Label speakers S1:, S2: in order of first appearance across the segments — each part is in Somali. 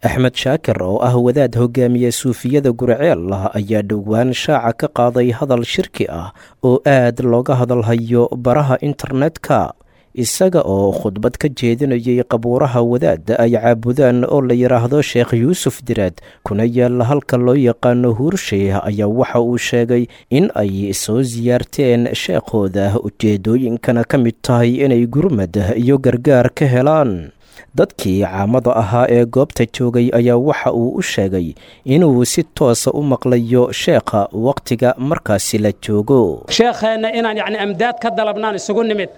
S1: Axmed Shaakir oo ah wadaad hogaamiye suufiyada Guriceel ayaa dhowaan shaaca ka qaaday hadal shirki ah oo aad looga hadalhayo baraha internetka, isaga oo khudbad ka jeedinayay qabuuraha wadaadda ay caabudaan oo la yidhaahdo Sheekh Yuusuf Diraad, kuna yaalla halka loo yaqaano Huursheeh, ayaa waxa uu sheegay in ay soo siyaarteen sheekhooda, ujeeddooyinkana ka mid tahay inay gurmad iyo gargaar ka helaan. Dadkii caamada ahaa ee goobta joogay ayaa waxa uu u sheegay inuu si toosa u maqlayo sheekha wakhtiga markaasi la joogo.
S2: Sheekheenna inaan yacni amdaad ka dalabnaan isugu nimid,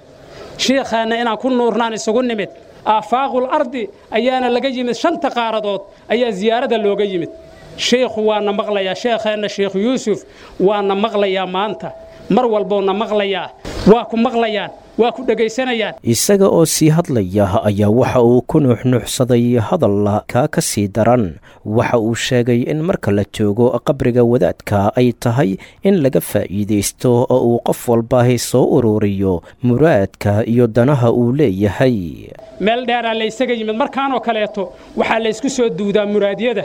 S2: shiikheenna inaan ku nuurnaan isugu nimid. Aafaaqul ardi ayaana laga yimid, shanta qaaradood ayaa ziyaarada looga yimid. Shiikhu waana maqlayaa, sheekheenna Sheikh Yuusuf waana maqlayaa maanta, mar walbouna maqlayaa, waa ku maqlayaan, waa ku dhegaysanayaan.
S1: Isaga oo sii hadlaya ayaa waxa uu ku nuuxnuuxsaday hadal kaa ka sii daran. Waxa uu sheegay in marka la joogo qabriga wadaadka ay tahay in laga faa'iidaysto oo uu qof walbaahi soo ururiyo muraadka iyo danaha uu leeyahay.
S2: Meel dheeraa laysaga yimid markaanoo kaleeto, waxaa laysku soo duudaa muraadyada,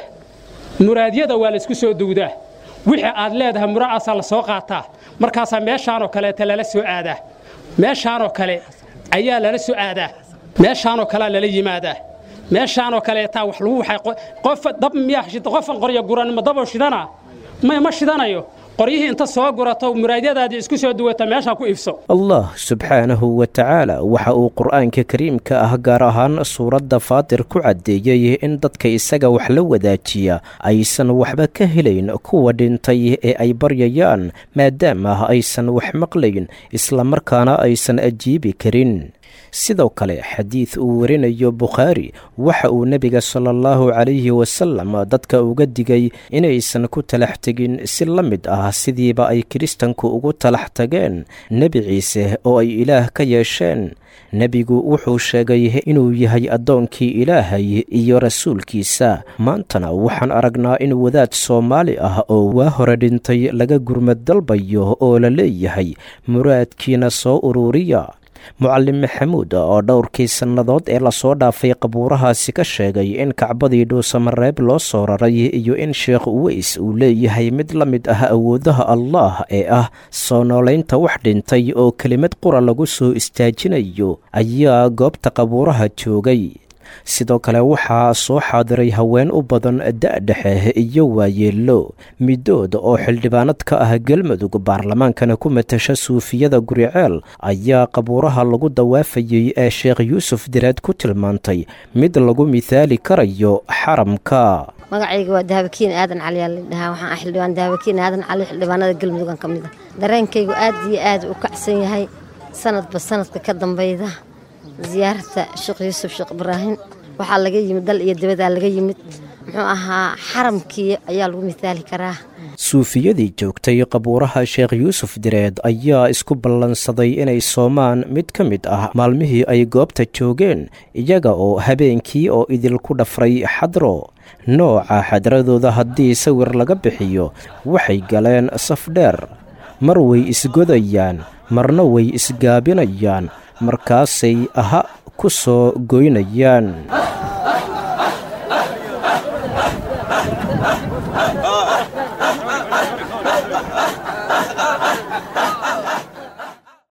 S2: muraadyada waa laysku soo duudaa. Wixii aad leedahay muraacaasaa la soo qaataa, markaasaa meeshaanoo kaleeta lala soo aadaa, meeshaanoo kale ayaa lala soo aadaa, meeshaanoo kalea lala yimaadaa, meeshaanoo kaleetaa wax lagu waxay. Qof dab miyaa qofan qoryo guran ma daboo shidana? May, ma shidanayo. Qoryihii inta soo gurato, muraadyadaadii isku soo duwata, meeshaa ku iibso.
S1: Allah subxaanahu wa tacaala waxa uu Qur'aanka kariimka ah, gaar ahaan suuradda Faatir, ku caddeeyey in dadka isaga wax la wadaajiya aysan waxba ka helayn kuwa dhintay ee ay baryayaan, maadaama aysan wax maqlayn islamarkaana aysan ajiibi karin. Sidoo kale xadiid uu warinayo Bukhaari, waxa uu nebiga sala allahu calayhi wasalam dadka uga digay inaysan ku talax tegin si la mid ah sidiiba ay kiristanku ugu talax tageen Nebi Ciise oo ay Ilaah ka yeesheen. Nebigu wuxuu sheegay inuu yahay addoonkii Ilaahay iyo rasuulkiisa. Maantana waxaan aragnaa in wadaad Soomaali ah oo waa hore dhintay laga gurmad dalbayo oo la leeyahay muraadkiina soo uruuriya. Mucallim Maxamuud oo dhowrkii sannadood ee lasoo dhaafay qabuurahaasi ka sheegay in Kacbadii Dhuusamareeb loo soo raray iyo in Sheekh Uweys uu leeyahay mid la mid ah awoodaha Allah ee ah soo noolaynta wax dhintay oo kelimad qura lagu soo istaajinayo, ayaa goobta qabuuraha joogay. Sidoo kale waxaa soo xaadiray haween u badan da-dhexe iyo waayeello, middood oo xildhibaanad ka ah Galmudug, baarlamaankana ku matasha suufiyada Guriceel, ayaa qabuuraha lagu dawaafayey ee Sheekh Yuusuf Diraad ku tilmaantay mid lagu mithaali karayo xaramka.
S3: Magacayga waa Dahabakiin Aadan Cali aa ladhahaa. Waxaan ah xildhibaan Dahabakiin Aadan Cali, xildhibaanada Galmudugan ka mid ah. Dareenkaygu aad iyo aad u kacsan yahay sanadba sanadka ka dambayda ziyaarta Sheekh Yuusuf Sheekh Ibraahim. Waxaa laga yimid dal iyo dibadaa laga yimid, muxuu ahaa, xaramkii ayaa lagu mithaali karaa.
S1: Suufiyadii joogtay qabuuraha Sheekh Yuusuf Direed ayaa isku ballansaday inay soomaan mid ka mid ah maalmihii ay goobta joogeen, iyaga oo habeenkii oo idilku dhafray xadro. Nooca xadradooda haddii sawir laga bixiyo, waxay galeen saf dheer, mar way isgodayaan, marna way isgaabinayaan, markaasay aha ku soo goynayaan.